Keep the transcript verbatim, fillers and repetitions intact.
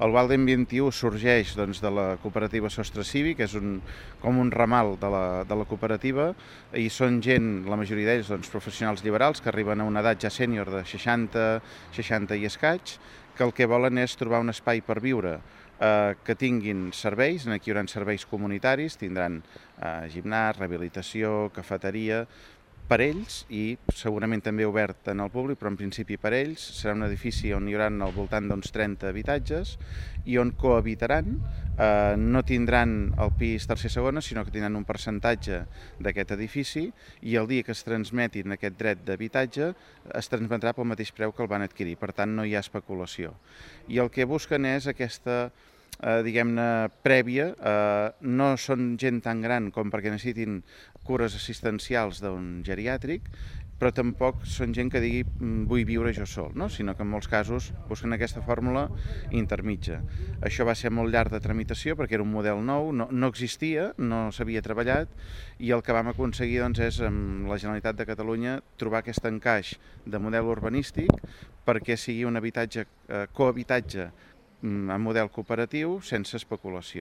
El Walden vint i u sorgeix doncs, de la cooperativa Sostre Cívic, que és un, com un ramal de la, de la cooperativa, i són gent, la majoria d'ells, doncs, professionals liberals, que arriben a una edat ja sènior de seixanta, seixanta i escaig, que el que volen és trobar un espai per viure, eh, que tinguin serveis. Aquí hi haurà serveis comunitaris, tindran eh, gimnàs, rehabilitació, cafeteria, per ells i segurament també obert en el públic, però en principi per ells. Serà un edifici on hi haurà al voltant d'uns trenta habitatges i on cohabitaran, eh, no tindran el pis tercer segona, sinó que tindran un percentatge d'aquest edifici i el dia que es transmetin aquest dret d'habitatge es transmetrà pel mateix preu que el van adquirir, per tant no hi ha especulació. I el que busquen és aquesta Eh, diguem-ne, prèvia. Eh, no són gent tan gran com perquè necessitin cures assistencials d'un geriàtric, però tampoc són gent que digui vull viure jo sol, no? Sinó que en molts casos busquen aquesta fórmula intermitja. Això va ser molt llarg de tramitació perquè era un model nou, no, no existia, no s'havia treballat, i el que vam aconseguir doncs, és amb la Generalitat de Catalunya trobar aquest encaix de model urbanístic perquè sigui un habitatge, eh, cohabitatge en model cooperatiu sense especulació.